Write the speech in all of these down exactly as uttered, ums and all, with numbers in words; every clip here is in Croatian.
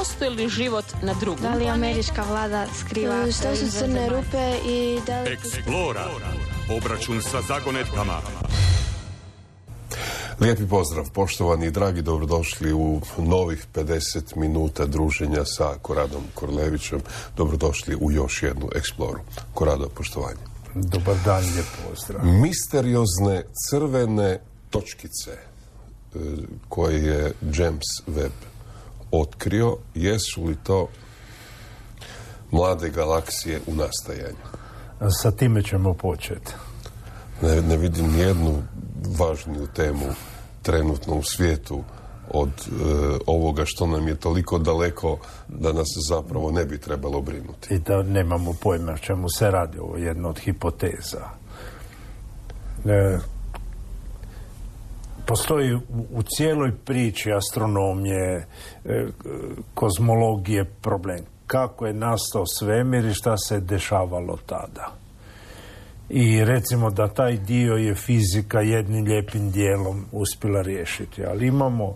postoji li život na drugom Da li američka vlada skriva što su crne rupe i da li... Eksplora. Obračun sa zagonetkama. Lijepi pozdrav, poštovani i dragi, dobrodošli u novih pedeset minuta druženja sa Koradom Korlevićem. Dobrodošli u još jednu Eksploru. Korado, poštovanje. Dobar dan, lijep pozdrav. Misteriozne crvene točkice koje je James Webb otkrio, jesu li to mlade galaksije u nastajanju? Sa time ćemo početi. Ne, ne vidim nijednu važniju temu trenutno u svijetu od e, ovoga što nam je toliko daleko da nas zapravo ne bi trebalo brinuti. I da nemamo pojma o čemu se radi, ovo je jedna od hipoteza. E, postoji u, u cijeloj priči astronomije, e, kozmologije problem. Kako je nastao svemir i šta se dešavalo tada. I recimo da taj dio je fizika jednim lijepim dijelom uspjela riješiti. Ali imamo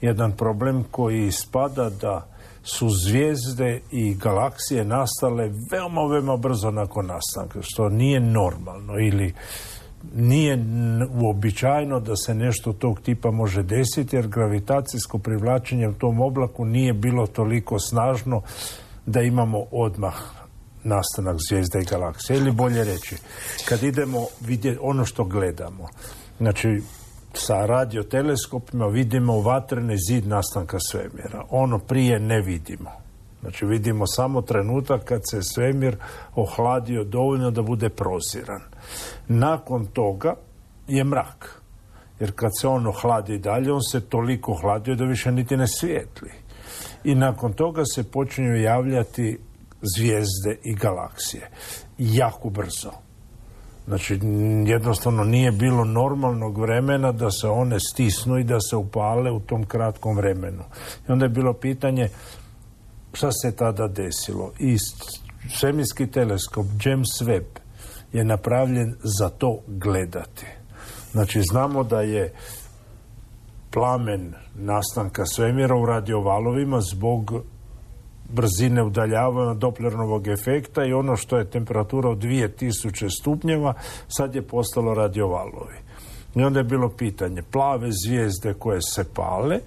jedan problem koji ispada da su zvijezde i galaksije nastale veoma, veoma brzo nakon nastanka, što nije normalno ili nije uobičajeno da se nešto tog tipa može desiti, jer gravitacijsko privlačenje u tom oblaku nije bilo toliko snažno da imamo odmah nastanak zvijezda i galaksije. Ili bolje reći, kad idemo vidjeti ono što gledamo, znači sa radioteleskopima vidimo vatreni zid nastanka svemira. Ono prije ne vidimo. Znači vidimo samo trenutak kad se svemir ohladio dovoljno da bude proziran. Nakon toga je mrak. Jer kad se on ohladi dalje, on se toliko ohladio da više niti ne svijetli. I nakon toga se počinju javljati zvijezde i galaksije. Jako brzo. Znači, jednostavno nije bilo normalnog vremena da se one stisnu i da se upale u tom kratkom vremenu. I onda je bilo pitanje šta se tada desilo. I svemirski teleskop James Webb je napravljen za to gledati. Znači, znamo da je plamen nastanka svemira u radiovalovima zbog brzine udaljavanja Dopplerovog efekta i ono što je temperatura od dvije tisuće stupnjeva sad je postalo radiovalovi. I onda je bilo pitanje, plave zvijezde koje se pale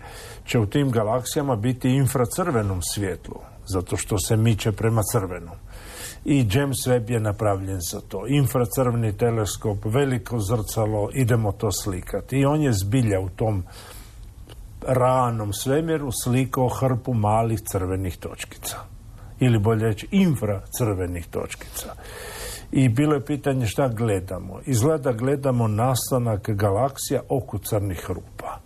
će u tim galaksijama biti infracrvenom svjetlu, zato što se miče prema crvenom. I James Webb je napravljen za to. Infracrveni teleskop, veliko zrcalo, idemo to slikati. I on je zbilja u tom ranom svemiru slikao hrpu malih crvenih točkica. Ili bolje reći infracrvenih točkica. I bilo je pitanje šta gledamo. Izgleda gledamo nastanak galaksija oko crnih rupa.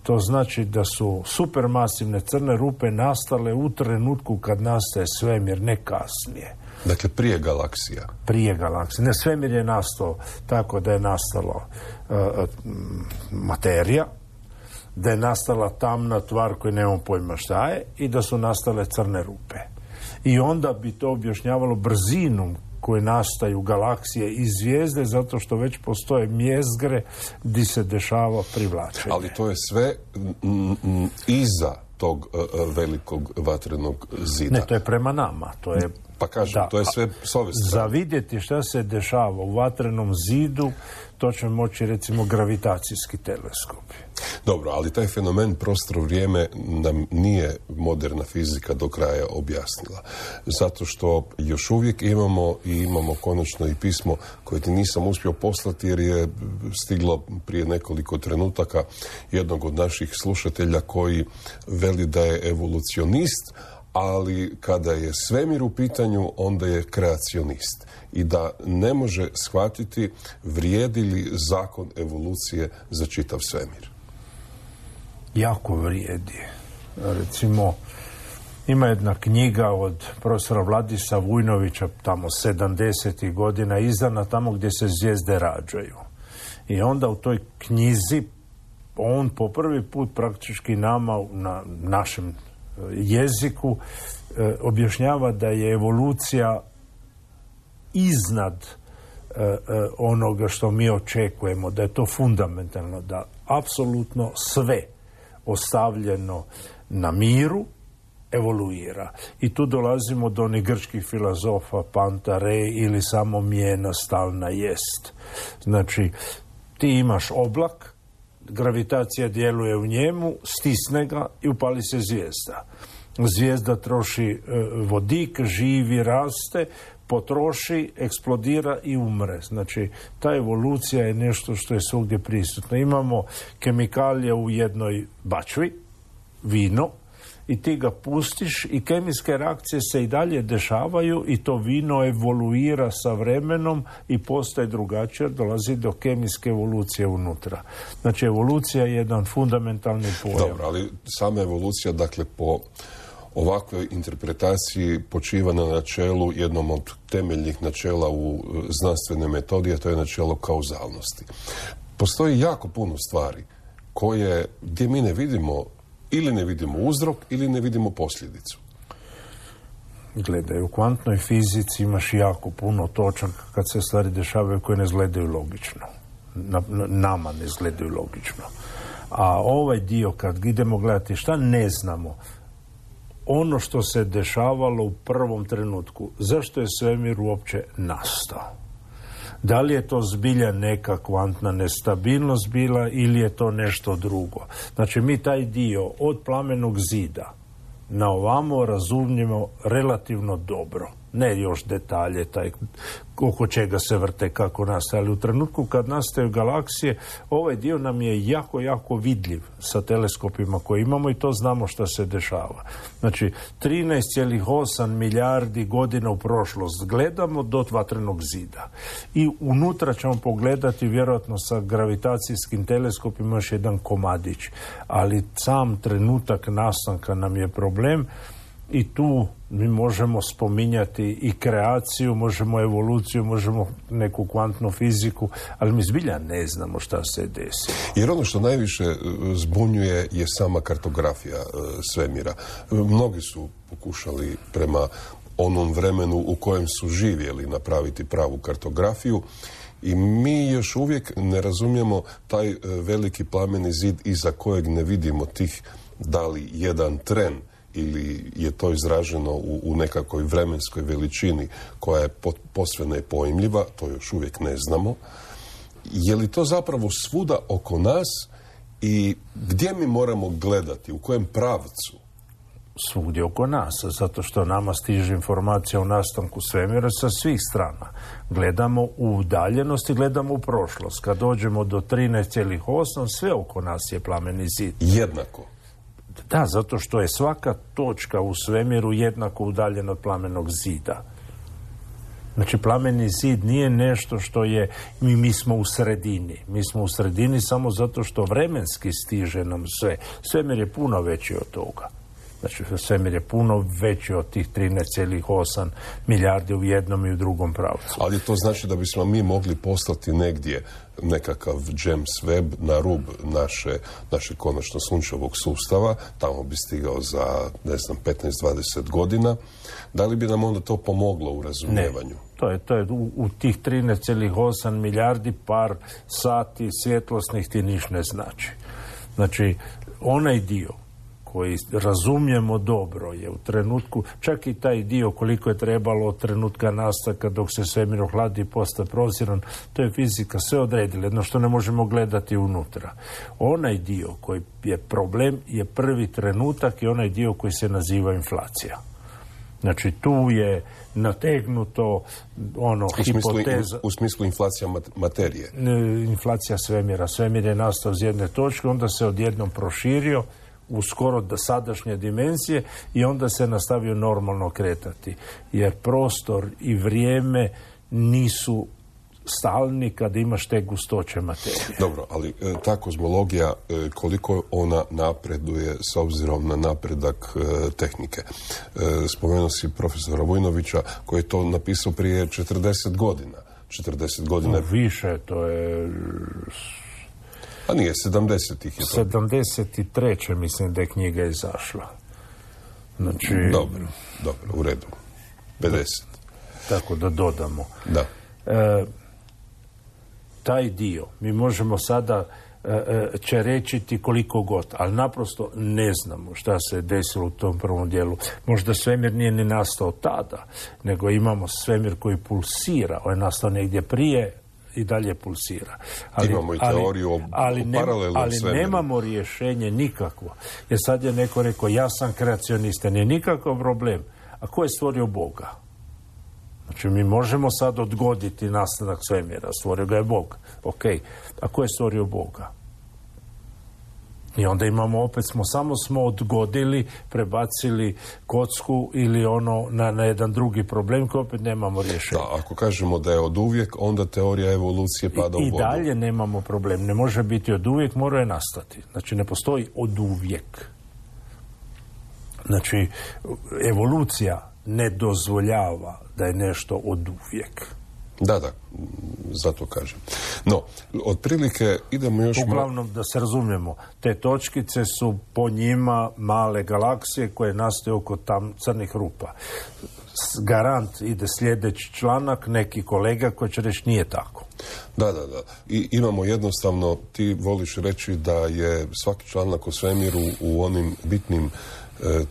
To znači da su supermasivne crne rupe nastale u trenutku kad nastaje svemir, ne kasnije. Dakle, prije galaksija. Prije galaksije. Ne, svemir je nastao tako da je nastalo uh, materija, da je nastala tamna tvar koju nemamo pojma šta je i da su nastale crne rupe. I onda bi to objašnjavalo brzinom koje nastaju galaksije i zvijezde, zato što već postoje mjezgre gdje se dešava privlačenje. Ali to je sve m, m, iza tog uh, velikog vatrenog zida. Ne, to je prema nama. To je, pa kažem, da, to je sve s ove strane. Za vidjeti šta se dešava u vatrenom zidu, to će moći recimo gravitacijski teleskopi. Dobro, ali taj fenomen prostor-vrijeme nam nije moderna fizika do kraja objasnila. Zato što još uvijek imamo i imamo konačno i pismo koje ti nisam uspio poslati jer je stiglo prije nekoliko trenutaka jednog od naših slušatelja koji veli da je evolucionist, ali kada je svemir u pitanju, onda je kreacionist. I da ne može shvatiti vrijedi li zakon evolucije za čitav svemir. Jako vrijedi. Recimo, ima jedna knjiga od profesora Vladisa Vujnovića, tamo sedamdesetih godina, izdana tamo gdje se zvijezde rađaju. I onda u toj knjizi on po prvi put praktički nama na našem jeziku e, objašnjava da je evolucija iznad e, e, onoga što mi očekujemo, da je to fundamentalno, da apsolutno sve ostavljeno na miru evoluira. I tu dolazimo do onih grčkih filozofa panta re ili samo mjena stalna jest. Znači, ti imaš oblak, gravitacija djeluje u njemu, stisne ga i upali se zvijezda. Zvijezda troši e, vodik, živi, raste, potroši, eksplodira i umre. Znači, ta evolucija je nešto što je svugdje prisutno. Imamo kemikalije u jednoj bačvi, vino, i ti ga pustiš i kemijske reakcije se i dalje dešavaju i to vino evoluira sa vremenom i postaje drugačije, dolazi do kemijske evolucije unutra. Znači, evolucija je jedan fundamentalni pojam. Dobro, ali sama evolucija, dakle, po ovakvoj interpretaciji počiva na načelu, jednom od temeljnih načela u znanstvenoj metodi, a to je načelo kauzalnosti. Postoji jako puno stvari koje, gdje mi ne vidimo ili ne vidimo uzrok, ili ne vidimo posljedicu. Gledaj, u kvantnoj fizici imaš jako puno točaka kad se stvari dešavaju koje ne izgledaju logično. Na, na, nama ne izgledaju logično. A ovaj dio, kad idemo gledati šta ne znamo, ono što se dešavalo u prvom trenutku, zašto je svemir uopće nastao? Da li je to zbilja neka kvantna nestabilnost bila ili je to nešto drugo? Znači, mi taj dio od plamenog zida na ovamo razumijemo relativno dobro. Ne još detalje, taj, oko čega se vrte, kako nastaje. Ali u trenutku kad nastaju galaksije, ovaj dio nam je jako, jako vidljiv sa teleskopima koje imamo i to znamo što se dešava. Znači, trinaest zarez osam milijardi godina u prošlost gledamo do vatrenog zida. I unutra ćemo pogledati, vjerojatno sa gravitacijskim teleskopima, još jedan komadić. Ali sam trenutak nastanka nam je problem. I tu mi možemo spominjati i kreaciju, možemo evoluciju, možemo neku kvantnu fiziku, ali mi zbilja ne znamo šta se desi. Jer ono što najviše zbunjuje je sama kartografija svemira. Mnogi su pokušali prema onom vremenu u kojem su živjeli napraviti pravu kartografiju i mi još uvijek ne razumijemo taj veliki plameni zid iza kojeg ne vidimo tih, da li jedan tren ili je to izraženo u, u nekakvoj vremenskoj veličini koja je posve nepojmljiva, to još uvijek ne znamo. Je li to zapravo svuda oko nas i gdje mi moramo gledati, u kojem pravcu? Svugdje oko nas, zato što nama stiže informacija o nastanku svemira sa svih strana. Gledamo u udaljenost i gledamo u prošlost. Kad dođemo do trinaest zarez osam, sve oko nas je plameni zid. Jednako. Da, zato što je svaka točka u svemiru jednako udaljena od plamenog zida. Znači, plameni zid nije nešto što je, mi, mi smo u sredini. Mi smo u sredini samo zato što vremenski stiže nam sve. Svemir je puno veći od toga. Znači, svemir je puno veći od tih trinaest zarez osam milijardi u jednom i u drugom pravcu. Ali to znači da bismo mi mogli poslati negdje nekakav James Webb na rub naše, naše konačno sunčevog sustava, tamo bi stigao za, ne znam, petnaest do dvadeset godina. Da li bi nam onda to pomoglo u razumijevanju? Ne, to je, to je u, u tih trinaest zarez osam milijardi par sati svjetlosnih ti niš ne znači. Znači, onaj dio koji razumijemo dobro je u trenutku, čak i taj dio koliko je trebalo od trenutka nastanka dok se svemir ohladi i postaje proziran, to je fizika sve odredila, jedno što ne možemo gledati unutra. Onaj dio koji je problem je prvi trenutak i onaj dio koji se naziva inflacija. Znači, tu je nategnuto ono, u smislu, hipoteza... U, u smislu inflacija materije? Inflacija svemira. Svemir je nastao iz jedne točke, onda se odjednom proširio u skoro do sadašnje dimenzije i onda se nastavio normalno kretati. Jer prostor i vrijeme nisu stalni kad imaš te gustoće materije. Dobro, ali e, ta kozmologija, e, koliko ona napreduje s obzirom na napredak e, tehnike? E, spomenuo si profesora Vujnovića koji je to napisao prije četrdeset godina. četrdeset godina... No, više, to je... A nije, sedamdesetih je to. sedamdeset treće mislim da je knjiga izašla. Znači... Dobro, dobro, u redu. pedeset. Tako da dodamo. Da. E, taj dio, mi možemo sada će reći ti koliko god, ali naprosto ne znamo šta se desilo u tom prvom dijelu. Možda svemir nije ni nastao tada, nego imamo svemir koji pulsira, on je nastao negdje prije i dalje pulsira. Ali, imamo i teoriju o, ali, o paralelnom ali svemiru. Ali nemamo rješenje nikakvo. Jer sad je neko rekao, ja sam kreacionista, nije nikakav problem. A ko je stvorio Boga? Znači, mi možemo sad odgoditi nastanak svemira. Stvorio ga je Bog. Ok. A ko je stvorio Boga? I onda imamo, opet smo, samo smo odgodili, prebacili kocku ili ono na, na jedan drugi problem koji opet nemamo rješenja. Da, ako kažemo da je od uvijek, onda teorija evolucije pada I, u i vodu. I dalje nemamo problem. Ne može biti od uvijek, mora je nastati. Znači, ne postoji od uvijek. Znači, evolucija ne dozvoljava da je nešto od uvijek. Da, da, zato kažem. No, otprilike idemo još... Uglavnom, da se razumijemo, te točkice su po njima male galaksije koje nastaju oko tam crnih rupa. Garant ide sljedeći članak, neki kolega koji će reći nije tako. Da, da, da. I imamo jednostavno, ti voliš reći da je svaki članak o svemiru u onim bitnim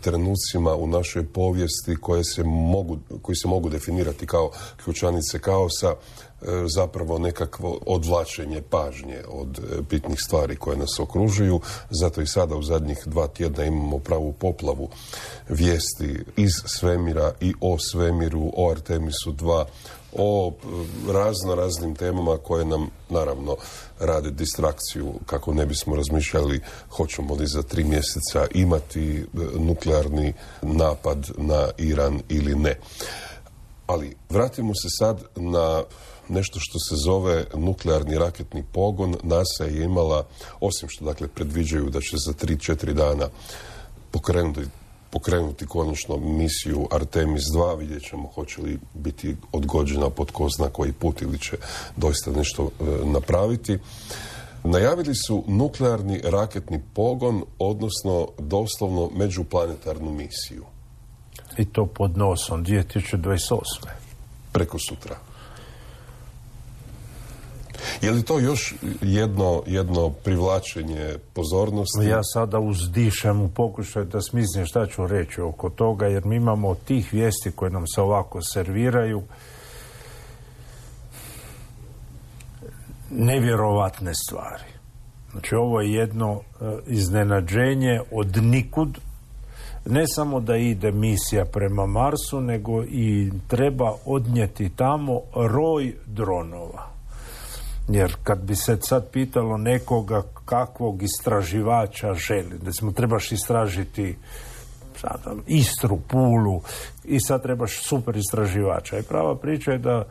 trenucima u našoj povijesti koje se mogu, koji se mogu definirati kao ključanice kaosa, zapravo nekakvo odvlačenje pažnje od bitnih stvari koje nas okružuju. Zato i sada u zadnjih dva tjedna imamo pravu poplavu vijesti iz svemira i o svemiru, o Artemisu dva, o razno raznim temama koje nam naravno rade distrakciju kako ne bismo razmišljali hoćemo li za tri mjeseca imati nuklearni napad na Iran ili ne. Ali vratimo se sad na nešto što se zove nuklearni raketni pogon. NASA je imala, osim što dakle predviđaju da će za tri četiri dana pokrenuti pokrenuti konačno misiju Artemis dva, vidjet ćemo hoće li biti odgođena pod ko zna koji put ili će doista nešto e, napraviti. Najavili su nuklearni raketni pogon, odnosno doslovno međuplanetarnu misiju. I to pod nosom dvije tisuće dvadeset osme. Preko sutra. Je li to još jedno, jedno privlačenje pozornosti? Ja sada uzdišem u pokušaju da smislim šta ću reći oko toga, jer mi imamo tih vijesti koje nam se ovako serviraju nevjerovatne stvari. Znači, ovo je jedno uh, iznenađenje od nikud. Ne samo da ide misija prema Marsu, nego i treba odnijeti tamo roj dronova. Jer kad bi se sad pitalo nekoga kakvog istraživača želi, recimo trebaš istražiti sad, Istru, Pulu i sad trebaš super istraživača. I prava priča je da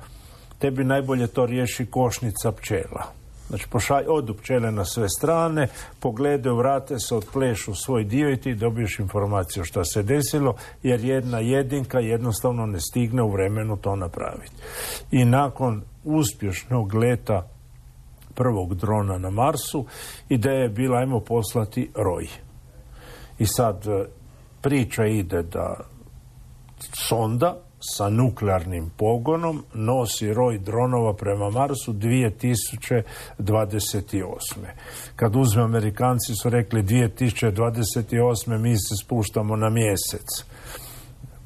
tebi najbolje to riješi košnica pčela. Znači, pošalj, odu pčele na sve strane, pogledaju, vrate se, otplešu svoj dio i ti dobiješ informaciju šta se desilo, jer jedna jedinka jednostavno ne stigne u vremenu to napraviti. I nakon uspješnog leta prvog drona na Marsu, ideja je bila ajmo poslati roj. I sad priča ide da sonda sa nuklearnim pogonom nosi roj dronova prema Marsu dvije tisuće dvadeset osme. Kad uzme, Amerikanci su rekli dvije tisuće dvadeset osme mi se spuštamo na mjesec.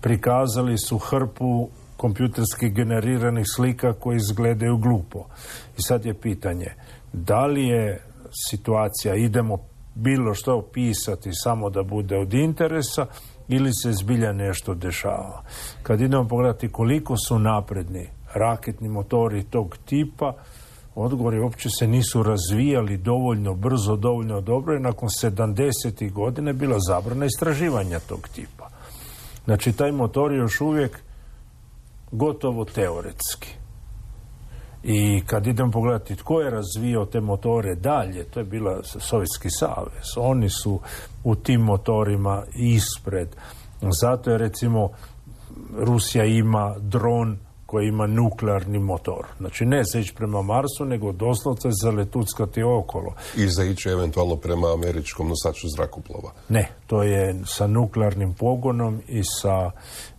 Prikazali su hrpu kompjuterski generiranih slika koji izgledaju glupo. I sad je pitanje, da li je situacija, idemo bilo što opisati samo da bude od interesa ili se zbilja nešto dešava. Kad idemo pogledati koliko su napredni raketni motori tog tipa, odgovori uopće se nisu razvijali dovoljno brzo, dovoljno dobro i nakon sedamdesetih godina je bila zabrana istraživanja tog tipa. Znači, taj motor je još uvijek gotovo teoretski. I kad idem pogledati tko je razvio te motore dalje, to je bila Sovjetski savez. Oni su u tim motorima ispred. Zato je, recimo, Rusija ima dron koji ima nuklearni motor. Znači ne za ići prema Marsu, nego doslovce za letuckati okolo. I za ići eventualno prema američkom nosaču zrakoplova. Ne, to je sa nuklearnim pogonom i sa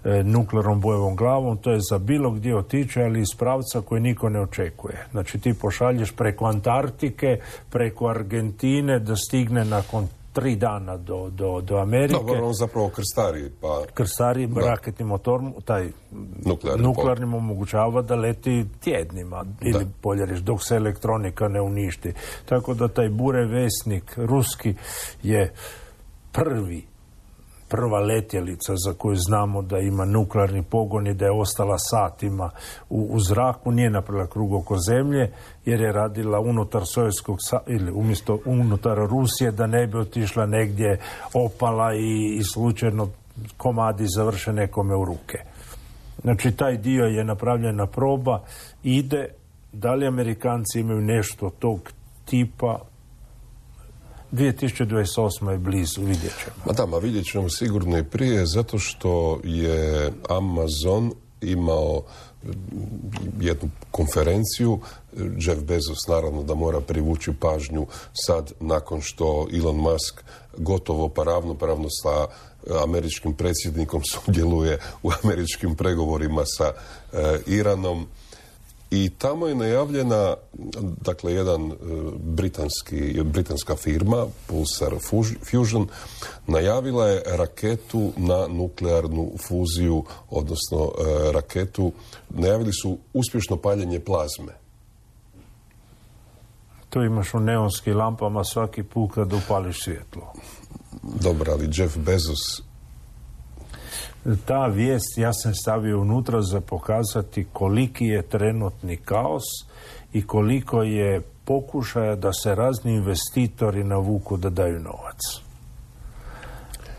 e, nuklearnom bojevom glavom. To je za bilo gdje otići, ali iz pravca koji niko ne očekuje. Znači ti pošalješ preko Antarktike, preko Argentine da stigne nakon tri dana do, do, do Amerike. Dobro, on zapravo krstari. Pa... Krstari, da. Raketni motor, taj nuklearni, nuklearni omogućava da leti tjednima, da. Ili bolje reći, dok se elektronika ne uništi. Tako da taj burevesnik ruski je prvi, prva letjelica za koju znamo da ima nuklearni pogon i da je ostala satima u, u zraku, nije napravila krug oko zemlje, jer je radila unutar Sovjetskog ili umjesto unutar Rusije, da ne bi otišla negdje, opala i, i slučajno komadi završe nekome u ruke. Znači taj dio je napravljena proba, ide, da li Amerikanci imaju nešto tog tipa, dvije tisuće dvadeset osma je blizu, vidjet ćemo. Ma da, ma vidjet ćemo sigurno i prije, zato što je Amazon imao jednu konferenciju. Jeff Bezos naravno da mora privući pažnju sad, nakon što Elon Musk gotovo pa ravnopravno sa američkim predsjednikom sudjeluje u američkim pregovorima sa e, Iranom. I tamo je najavljena, dakle, jedan britanski, britanska firma, Pulsar Fusion, najavila je raketu na nuklearnu fuziju, odnosno e, raketu, najavili su uspješno paljenje plazme. To imaš u neonskim lampama svaki put kad upališ svjetlo. Dobro, ali Jeff Bezos... Ta vijest ja sam stavio unutra za pokazati koliki je trenutni kaos i koliko je pokušaja da se razni investitori navuku da daju novac.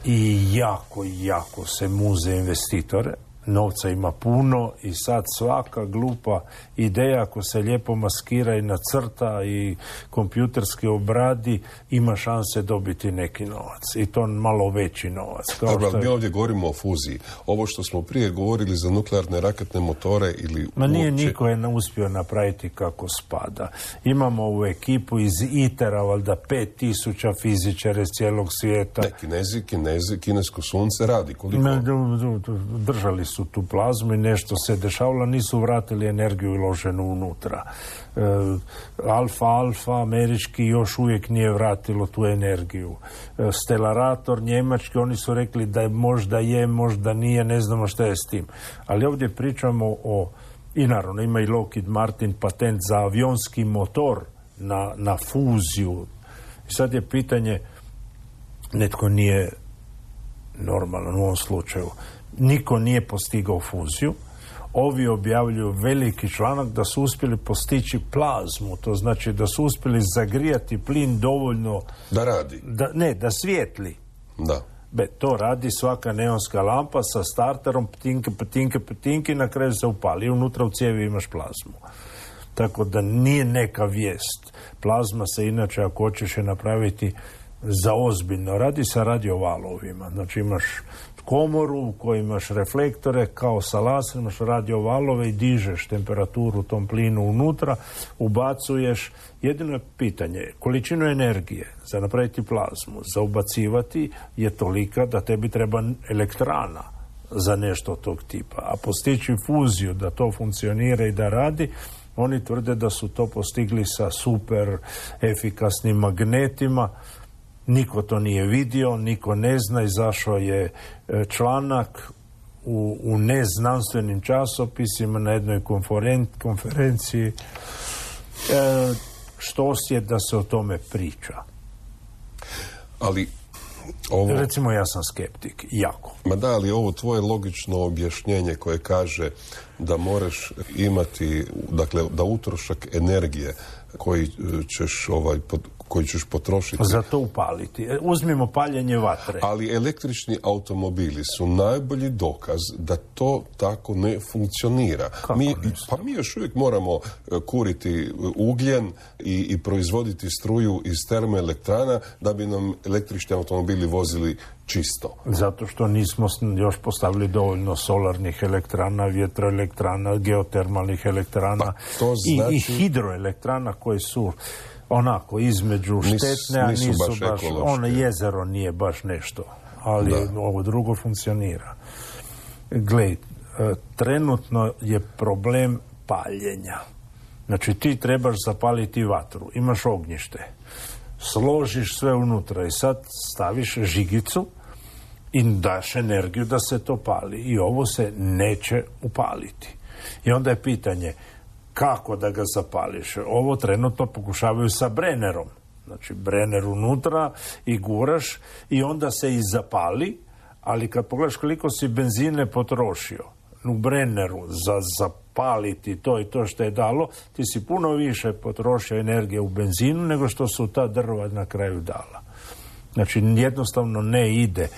I jako, jako se muze investitore. Novca ima puno i sad svaka glupa ideja, ako se lijepo maskira i nacrta i kompjuterski obradi, ima šanse dobiti neki novac. I to malo veći novac. Kao Dobro, ali je... mi ovdje govorimo o fuziji. Ovo što smo prije govorili za nuklearne raketne motore ili... Ma nije uopće... niko je uspio napraviti kako spada. Imamo ovu ekipu iz ITER-a, valjda pet tisuća fizičara iz cijelog svijeta. Ne, Kinezi, Kinezi, kinesko sunce radi. Koliko? Ne, držali su tu plazmu i nešto se dešavalo, nisu vratili energiju uloženu unutra. E, Alfa Alfa, američki, još uvijek nije vratilo tu energiju. E, Stellarator, njemački, oni su rekli da je možda je, možda nije, ne znamo šta je s tim. Ali ovdje pričamo o, i naravno ima i Lockheed Martin patent za avionski motor na, na fuziju. I sad je pitanje, netko nije normalan u ovom slučaju, niko nije postigao fuziju. Ovi objavljuju veliki članak da su uspjeli postići plazmu, to znači da su uspjeli zagrijati plin dovoljno da radi. Da, ne, da svijetli. Da. Be, to radi svaka neonska lampa sa starterom, ptinke, ptinke, ptinke i na kraju se upali. Unutra u cijevi imaš plazmu. Tako da nije neka vijest. Plazma se inače, ako hoćeš je napraviti za ozbiljno, radi sa radiovalovima. Znači imaš komoru u kojoj imaš reflektore, kao sa laserom, imaš radiovalove i dižeš temperaturu u tom plinu unutra, ubacuješ. Jedino je pitanje, količinu energije za napraviti plazmu, za ubacivati je tolika da tebi treba elektrana za nešto tog tipa. A postići fuziju da to funkcionira i da radi, oni tvrde da su to postigli sa super efikasnim magnetima. Niko to nije vidio, niko ne zna, izašao je članak u, u neznanstvenim časopisima na jednoj konferen, konferenciji. E, što je da se o tome priča? Ali ovo... Recimo ja sam skeptik, jako. Ma da, ali ovo tvoje logično objašnjenje koje kaže da moraš imati, dakle, da utrošak energije koji ćeš ovaj, pod, koji ćeš potrošiti. Za to upaliti. Uzmimo paljenje vatre. Ali električni automobili su najbolji dokaz da to tako ne funkcionira. Mi, pa mi još uvijek moramo kuriti ugljen i, i proizvoditi struju iz termoelektrana da bi nam električni automobili vozili čisto. Zato što nismo još postavili dovoljno solarnih elektrana, vjetroelektrana, geotermalnih elektrana, pa, to znači... i, i hidroelektrana koje su onako između štetne, a nisu, nisu baš, baš ono jezero nije baš nešto, ali da. Ovo drugo funkcionira. Glej, trenutno je problem paljenja. Znači ti trebaš zapaliti vatru, imaš ognjište, složiš sve unutra i sad staviš žigicu i daš energiju da se to pali i ovo se neće upaliti. I onda je pitanje kako da ga zapališ. Ovo trenutno pokušavaju sa Brennerom. Znači Brenner unutra i guraš i onda se i zapali, ali kad pogledaš koliko si benzine potrošio u Brenneru za zapaliti to i to što je dalo, ti si puno više potrošio energije u benzinu nego što su ta drva na kraju dala. Znači jednostavno ne ide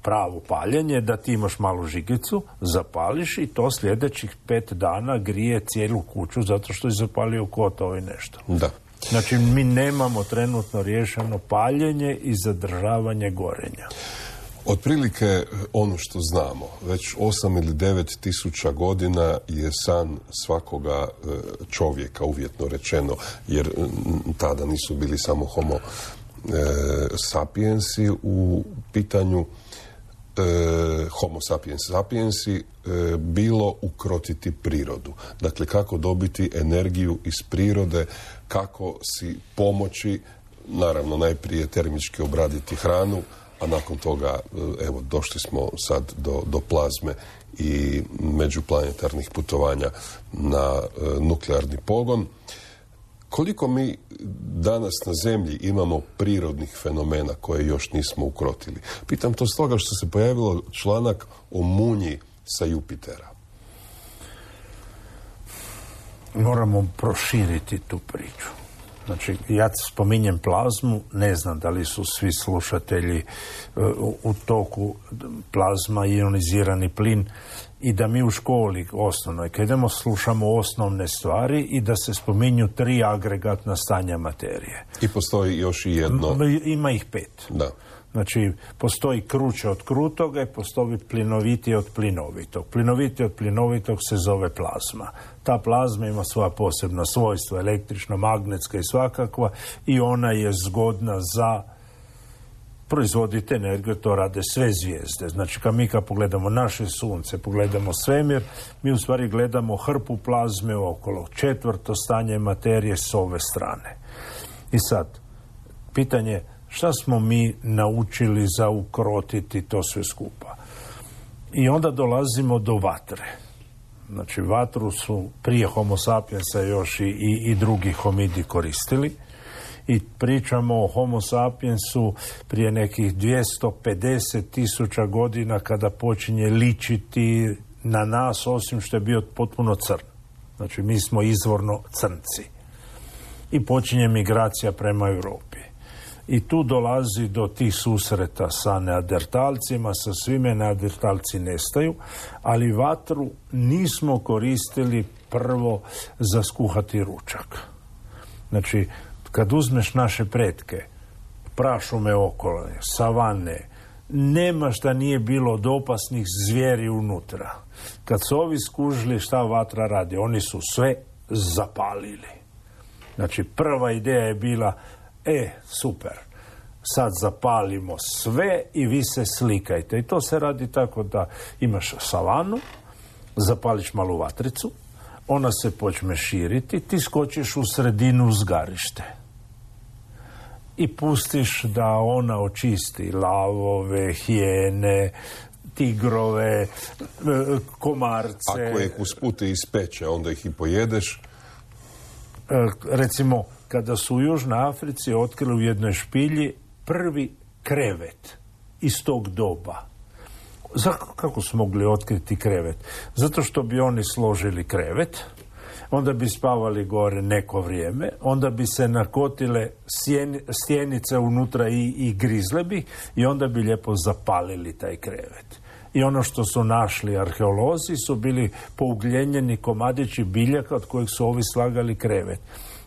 pravo paljenje, da ti imaš malu žigicu, zapališ i to sljedećih pet dana grije cijelu kuću zato što je zapalio kotao i nešto. Da. Znači mi nemamo trenutno riješeno paljenje i zadržavanje gorenja. Otprilike ono što znamo, već osam ili devet tisuća godina je san svakoga čovjeka, uvjetno rečeno, jer tada nisu bili samo homo sapiensi u pitanju, E, homo sapiens sapiensi e, bilo ukrotiti prirodu. Dakle, kako dobiti energiju iz prirode, kako si pomoći, naravno najprije termički obraditi hranu, a nakon toga, evo, došli smo sad do, do plazme i međuplanetarnih putovanja na e, nuklearni pogon. Koliko mi danas na Zemlji imamo prirodnih fenomena koje još nismo ukrotili? Pitam to stoga što se pojavilo članak o munji sa Jupitera. Moramo proširiti tu priču. Znači, ja spominjem plazmu, ne znam da li su svi slušatelji u, u toku plazma i ionizirani plin i da mi u školi osnovnoj, kad idemo slušamo osnovne stvari i da se spominju tri agregatna stanja materije. I postoji još i jedno. Ima ih pet. Da. Znači, postoji kruće od krutoga i postoji plinovitije od plinovitog. Plinovitije od plinovitog se zove plazma. Ta plazma ima svoja posebna svojstva, električno, magnetska i svakakva, i ona je zgodna za proizvoditi energiju, to rade sve zvijezde. Znači, kad mi kad pogledamo naše sunce, pogledamo svemir, mi u stvari gledamo hrpu plazme okolo. Četvrto stanje materije s ove strane. I sad, pitanje šta smo mi naučili za ukrotiti to sve skupa? I onda dolazimo do vatre. Znači, vatru su prije homo sapiensa još i, i, i drugi homidi koristili. I pričamo o homo sapiensu prije nekih dvjesto pedeset tisuća godina kada počinje ličiti na nas, osim što je bio potpuno crn. Znači, mi smo izvorno crnci. I počinje migracija prema Europi. I tu dolazi do tih susreta sa neandertalcima, sa svime neandertalci nestaju, ali vatru nismo koristili prvo za skuhati ručak. Znači, kad uzmeš naše pretke, prašume okolo, savane, nema šta nije bilo od opasnih zvijeri unutra. Kad su ovi skužili šta vatra radi, oni su sve zapalili. Znači, prva ideja je bila, e, super, sad zapalimo sve i vi se slikajte. I to se radi tako da imaš savanu, zapališ malu vatricu, ona se počne širiti, ti skočiš u sredinu uzgarište i pustiš da ona očisti lavove, hijene, tigrove, komarce. Ako ih uspute ispeče, onda ih i pojedeš. Recimo, kada su u Južnoj Africi otkrili u jednoj špilji prvi krevet iz tog doba. Za, kako su mogli otkriti krevet? Zato što bi oni složili krevet, onda bi spavali gore neko vrijeme, onda bi se nakotile sjeni, stjenice unutra i, i grizle bi i onda bi lijepo zapalili taj krevet. I ono što su našli arheolozi su bili pougljenjeni komadići biljaka od kojeg su ovi slagali krevet.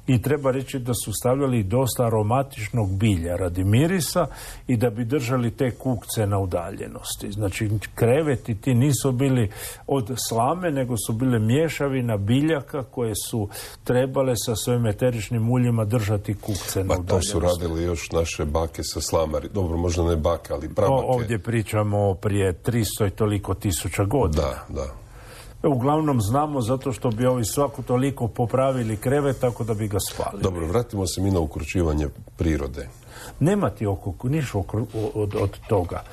I treba reći da su stavljali dosta aromatičnog bilja radi mirisa i da bi držali te kukce na udaljenosti. Znači, kreveti ti nisu bili od slame, nego su bile mješavina biljaka koje su trebale sa svojim eteričnim uljima držati kukce na udaljenosti. Pa to su radili još naše bake sa slamari. Dobro, možda ne bake, ali prabake. Ovdje pričamo prije tristo i toliko tisuća godina. Da, da. Uglavnom znamo zato što bi ovi svako toliko popravili krevet tako da bi ga spalili. Dobro, vratimo se mi na ukručivanje prirode. Nema ti oko, niš oko, od, od toga.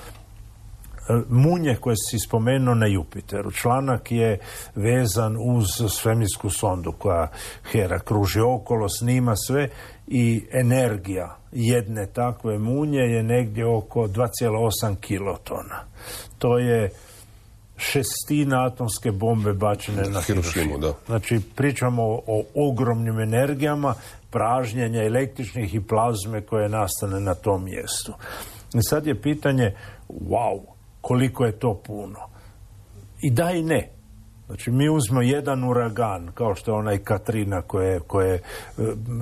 Munje koje si spomenuo na Jupiteru. Članak je vezan uz svemirsku sondu koja Hera kruži okolo, snima sve i energija jedne takve munje je negdje oko dva zarez osam kilotona. To je šestina atomske bombe bačene na Hirošimu. Da. Znači, pričamo o, o ogromnim energijama pražnjenja električnih i plazme koje nastane na tom mjestu. I sad je pitanje, wow, koliko je to puno? I da i ne. Znači, mi uzmemo jedan uragan, kao što je onaj Katrina koje, koje je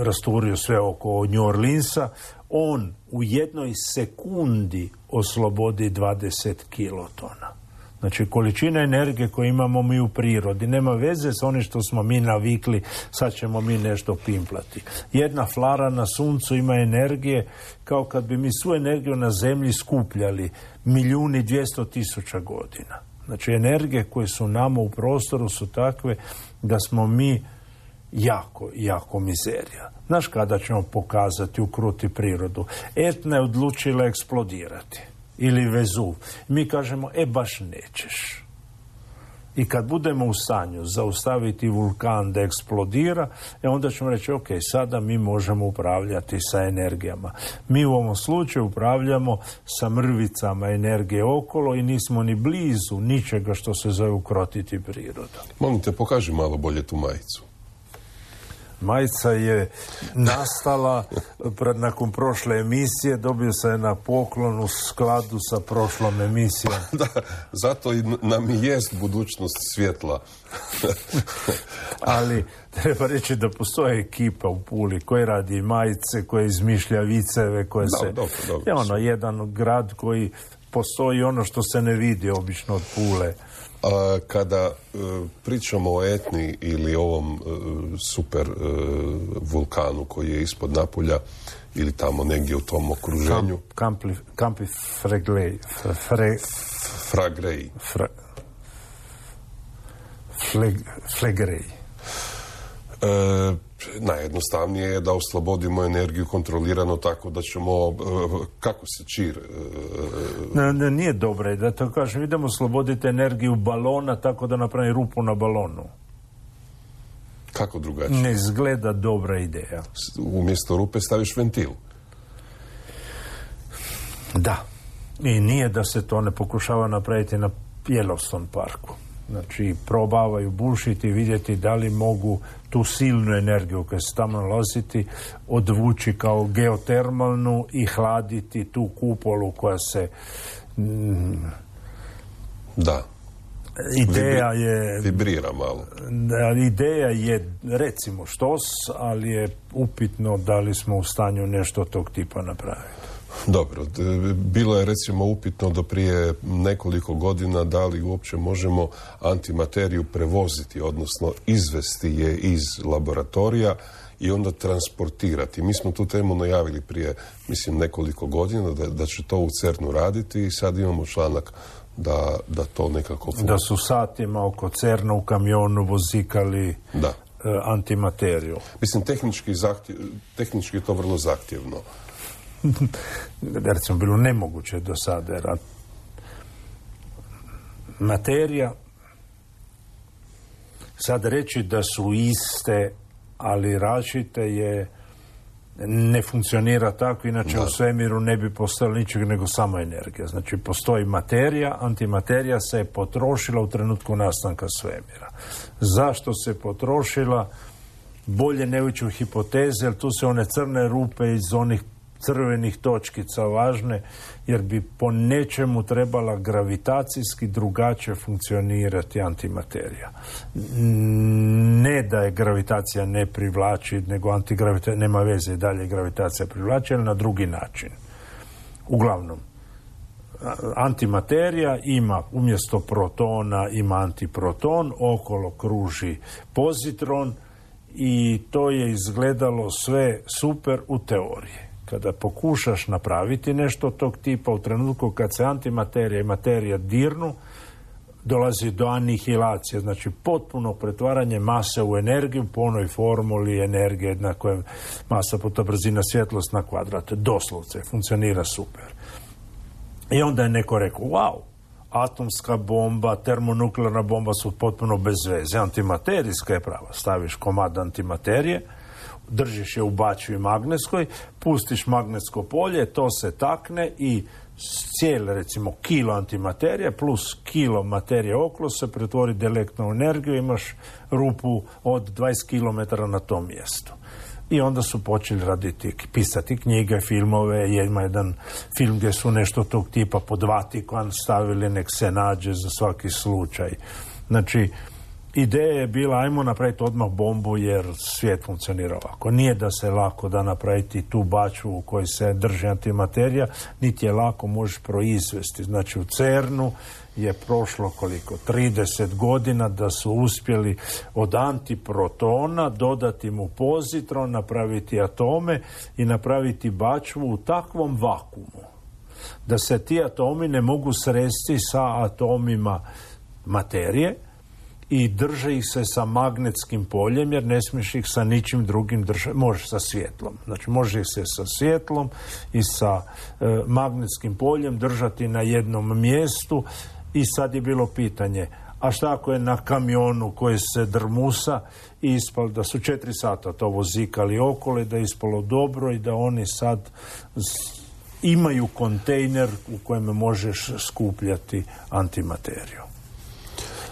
rasturio sve oko New Orleansa, on u jednoj sekundi oslobodi dvadeset kilotona. Znači, količina energije koju imamo mi u prirodi nema veze s onim što smo mi navikli, sad ćemo mi nešto pimplati. Jedna flara na suncu ima energije kao kad bi mi svu energiju na zemlji skupljali milijuni dvjesto tisuća godina. Znači, energije koje su nama u prostoru su takve da smo mi jako, jako mizerija. Znaš kada ćemo pokazati, ukruti prirodu? Etna je odlučila eksplodirati. Ili Vezuv. Mi kažemo, e baš nećeš. I kad budemo u stanju zaustaviti vulkan da eksplodira, e onda ćemo reći, ok, sada mi možemo upravljati sa energijama. Mi u ovom slučaju upravljamo sa mrvicama energije okolo i nismo ni blizu ničega što se zove ukrotiti prirodu. Molim te, pokaži malo bolje tu majicu. Majica je nastala pred, nakon prošle emisije, dobio se na poklon u skladu sa prošlom emisijom. Da, zato i nam i jest budućnost svjetla. Ali treba reći da postoje ekipa u Puli koja radi majice, koja izmišlja viceve, koje da, se... dobro, dobro. Je ono, jedan grad koji postoji ono što se ne vidi obično od Pule. A kada e, pričamo o Etni ili ovom e, super e, vulkanu koji je ispod Napulja ili tamo negdje u tom okruženju... Kamp, kampi, kampi Freglej. Fre, Fragrej. Fra, fleg, flegrej. E, najjednostavnije je da oslobodimo energiju kontrolirano tako da ćemo, kako se čir... Ne, ne, nije dobro, da to kažem, idemo osloboditi energiju balona tako da napravi rupu na balonu. Kako drugačije? Ne izgleda dobra ideja. Umjesto rupe staviš ventil. Da. I nije da se to ne pokušava napraviti na Yellowstone parku. Znači, probavaju bušiti i vidjeti da li mogu tu silnu energiju koja se tamo nalaziti odvući kao geotermalnu i hladiti tu kupolu koja se... Mm, da. Ideja je... Vibrira malo. Da, ideja je, recimo, štos, ali je upitno da li smo u stanju nešto tog tipa napraviti. Dobro, bilo je recimo upitno do prije nekoliko godina da li uopće možemo antimateriju prevoziti, odnosno izvesti je iz laboratorija i onda transportirati. Mi smo tu temu najavili prije, mislim, nekoliko godina da, da će to u CERN-u raditi i sad imamo članak da, da to nekako funkcionira. Da su satima oko CERN-a u kamionu vozikali da. e, antimateriju. Mislim, tehnički, zahtjev, tehnički je to vrlo zahtjevno. Recimo, bilo nemoguće do sada, jer materija, sad reći da su iste, ali različite je ne funkcionira tako, inače da. U svemiru ne bi postojalo ničeg nego samo energija. Znači, postoji materija, antimaterija se je potrošila u trenutku nastanka svemira. Zašto se potrošila? Bolje ne ući u hipoteze, jer tu se one crne rupe iz onih crvenih točkica važne, jer bi po nečemu trebala gravitacijski drugačije funkcionirati antimaterija. Ne da je gravitacija ne privlači, nego antigravitacija, nema veze i dalje gravitacija privlači, ali na drugi način. Uglavnom, antimaterija ima umjesto protona ima antiproton, okolo kruži pozitron i to je izgledalo sve super u teoriji. Kada pokušaš napraviti nešto tog tipa, u trenutku kad se antimaterija i materija dirnu, dolazi do anihilacije, znači potpuno pretvaranje mase u energiju po onoj formuli energije jednako je masa puta brzina svjetlost na kvadrat. Doslovce, funkcionira super. I onda je neko rekao, wow, atomska bomba, termonuklearna bomba su potpuno bez veze. Antimaterijska je prava. Staviš komad antimaterije, držiš je u bačvi magnetskoj, pustiš magnetsko polje, to se takne i cijel, recimo, kilo antimaterije plus kilo materije okolo se pretvori direktno u energiju, imaš rupu od dvadeset kilometara na tom mjestu. I onda su počeli raditi, pisati knjige, filmove, ima jedan film gdje su nešto tog tipa pod Vatikan stavili, nek se nađe za svaki slučaj. Znači, ideja je bila, ajmo napraviti odmah bombu jer svijet funkcionira ovako. Nije da se lako da napraviti tu bačvu u kojoj se drži antimaterija, niti je lako možeš proizvesti. Znači u CERNu je prošlo koliko? trideset godina da su uspjeli od antiprotona dodati mu pozitron, napraviti atome i napraviti bačvu u takvom vakuumu da se ti atomi ne mogu sresti sa atomima materije i drže ih se sa magnetskim poljem, jer ne smiješ ih sa ničim drugim držati. Možeš sa svjetlom. Znači, može ih se sa svjetlom i sa e, magnetskim poljem držati na jednom mjestu. I sad je bilo pitanje, a šta ako je na kamionu koji se drmusa i ispalo da su četiri sata to vozikali okolo i da je ispalo dobro i da oni sad imaju kontejner u kojem možeš skupljati antimateriju.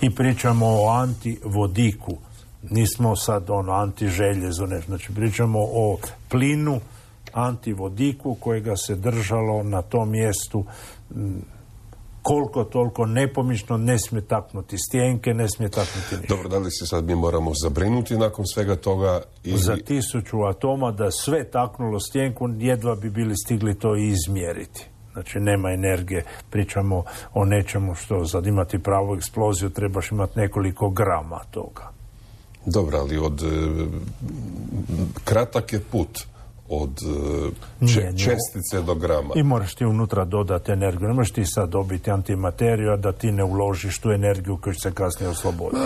I pričamo o antivodiku. Nismo sad ono antiželjezo, ne, znači pričamo o plinu antivodiku kojega se držalo na tom mjestu m, koliko toliko nepomično, ne smije taknuti stjenke, ne smije taknuti ništa. Dobro, da li se sad mi moramo zabrinuti nakon svega toga? Ili... Za tisuću atoma da sve taknulo stjenku, jedva bi bili stigli to i izmjeriti. Znači, nema energije. Pričamo o nečemu što za imati pravu eksploziju trebaš imati nekoliko grama toga. Dobro, ali od... kratak je put od če, nije, čestice do grama. I moraš ti unutra dodati energiju. Ne možeš ti sad dobiti antimateriju, a da ti ne uložiš tu energiju koju će se kasnije osloboditi.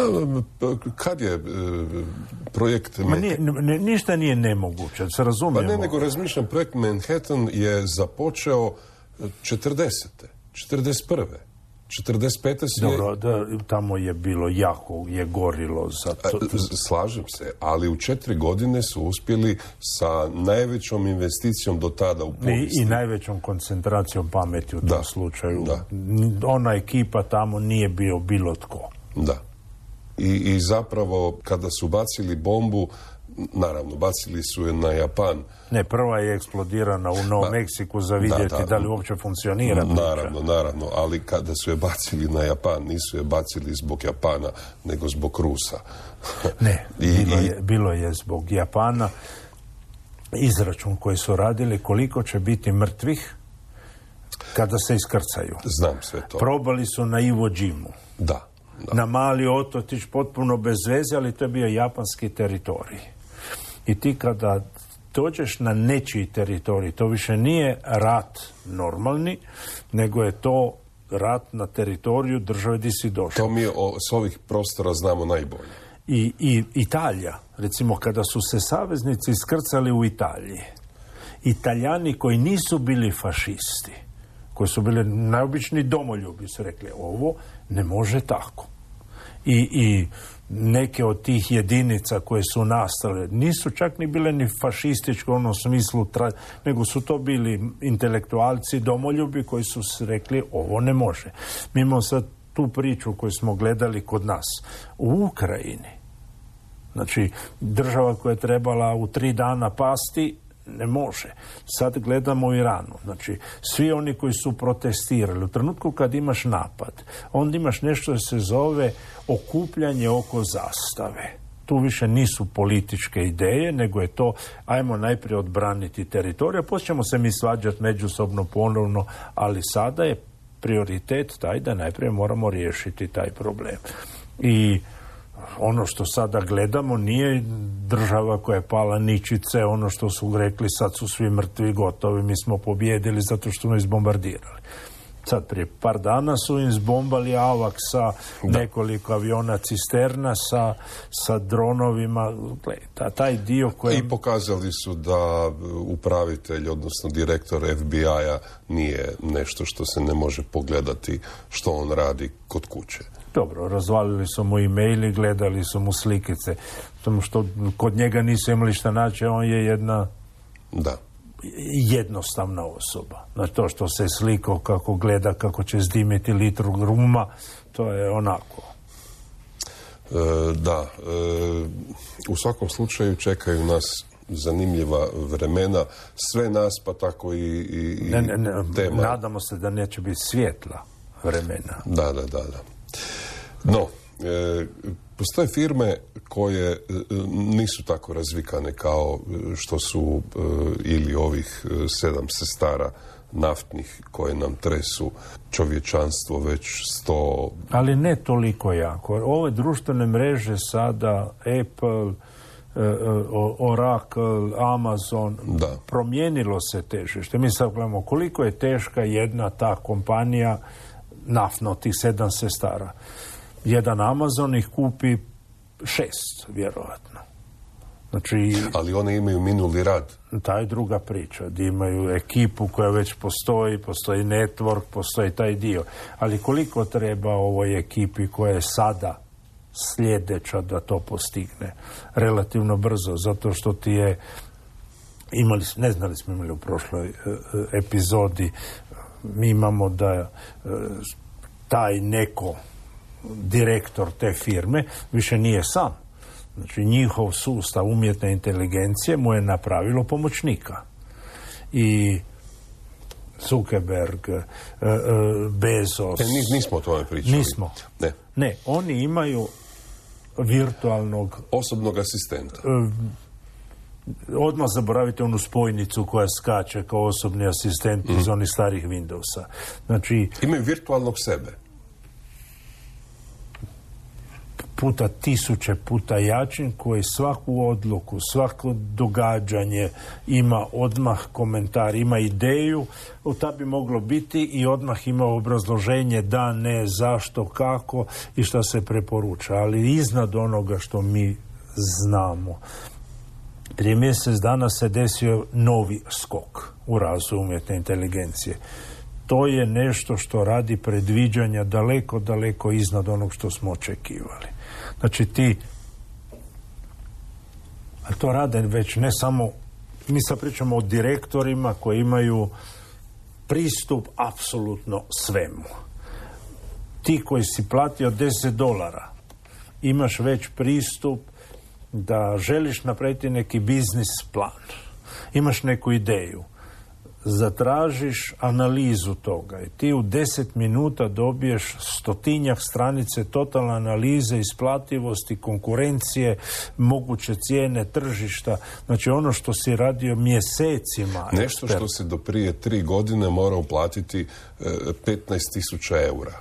Kad je projekt... Ma nije, ne, ništa nije nemoguće, se razumijemo. Pa ne, nego razmišljam, projekt Manhattan je započeo četrdesete, četrdeset prve četrdeset pete se... Dobro, da, tamo je bilo jako, je gorilo za to. Slažem se, ali u četiri godine su uspjeli sa najvećom investicijom do tada u povijesti. I, i najvećom koncentracijom pameti u tom da, slučaju. Da. Ona ekipa tamo nije bio bilo tko. Da. I, i zapravo, kada su bacili bombu, naravno, bacili su je na Japan. Ne, prva je eksplodirana u Novom Meksiku za vidjeti da, da, da li uopće funkcionira. Naravno, priča. naravno, ali kada su je bacili na Japan, nisu je bacili zbog Japana, nego zbog Rusa. Ne, I, bilo, je, bilo je zbog Japana izračun koji su radili koliko će biti mrtvih kada se iskrcaju. Znam sve to. Probali su na Iwo Jimu. Da. Da. Na mali otočić potpuno bez veze, ali to je bio japanski teritorij. I ti kada dođeš na nečiji teritorij, to više nije rat normalni, nego je to rat na teritoriju države gdje si došao. To mi o, s ovih prostora znamo najbolje. I, i Italija, recimo kada su se saveznici iskrcali u Italiji, Italijani koji nisu bili fašisti, koji su bili najobični domoljubi, su rekli, ovo ne može tako. I, i neke od tih jedinica koje su nastale nisu čak ni bile ni fašističke u onom smislu, tra- nego su to bili intelektualci, domoljubi koji su rekli ovo ne može. Mi imamo sad tu priču koju smo gledali kod nas u Ukrajini. Znači, država koja je trebala u tri dana pasti, ne može. Sad gledamo u Iranu. Znači, svi oni koji su protestirali, u trenutku kad imaš napad, onda imaš nešto da se zove okupljanje oko zastave. Tu više nisu političke ideje, nego je to, ajmo najprije odbraniti teritorij, poslije ćemo se mi svađati međusobno ponovno, ali sada je prioritet taj da najprije moramo riješiti taj problem. I ono što sada gledamo nije država koja je pala ničice, ono što su rekli sad su svi mrtvi, gotovi, mi smo pobjedili zato što smo izbombardirali. Sad prije par dana su im zbombali Avak sa nekoliko aviona cisterna, sa, sa dronovima. Ta, taj dio koji... I pokazali su da upravitelj, odnosno direktor F B I-a nije nešto što se ne može pogledati što on radi kod kuće. Dobro, razvalili su mu e-maili, gledali su mu slikice. Samo što kod njega nisu imali šta naći, on je jedna... Da. jednostavna osoba. Znači to što se slikao kako gleda, kako će zdimiti litru gruma, to je onako. E, da. E, u svakom slučaju čekaju nas zanimljiva vremena. Sve nas, pa tako i, i, ne, ne, ne, tema. Nadamo se da neće biti svjetla vremena. Da, da, da. da. No, e, postoje firme koje nisu tako razvikane kao što su ili ovih sedam sestara naftnih koje nam tresu čovječanstvo već sto... Ali ne toliko jako. Ove društvene mreže sada, Apple, Oracle, Amazon, da. Promijenilo se težište. Mi sad gledamo koliko je teška jedna ta kompanija naftno, tih sedam sestara. Jedan Amazon ih kupi šest, vjerojatno. Znači, ali one imaju minuli rad. Ta je druga priča, da imaju ekipu koja već postoji, postoji network, postoji taj dio. Ali koliko treba ovoj ekipi koja je sada sljedeća da to postigne? Relativno brzo, zato što ti je, imali, ne znali smo imali u prošloj e, epizodi, mi imamo da e, taj neko direktor te firme više nije sam. Znači njihov sustav umjetne inteligencije mu je napravilo pomoćnika. I Zuckerberg, Bezos... E, nismo o tome pričali. Nismo. Ne. Ne, oni imaju virtualnog... osobnog asistenta. Odmah zaboravite onu spojnicu koja skače kao osobni asistent mm. iz onih starih Windowsa. Znači... imaju virtualnog sebe. Puta tisuće puta jačin koji svaku odluku, svako događanje ima odmah komentar, ima ideju, ta bi moglo biti i odmah ima obrazloženje da, ne, zašto, kako i šta se preporuča. Ali iznad onoga što mi znamo. Prije mjesec dana se desio novi skok u razvoju umjetne inteligencije. To je nešto što radi predviđanja daleko, daleko iznad onog što smo očekivali. Znači ti, a to rade već ne samo, mi sad pričamo o direktorima koji imaju pristup apsolutno svemu. Ti koji si platio deset dolara, imaš već pristup da želiš napraviti neki biznis plan. Imaš neku ideju. Zatražiš analizu toga i ti u deset minuta dobiješ stotinjak stranice totalne analize, isplativosti, konkurencije, moguće cijene, tržišta. Znači ono što si radio mjesecima. Nešto što se do prije tri godine mora uplatiti e, petnaest tisuća eura.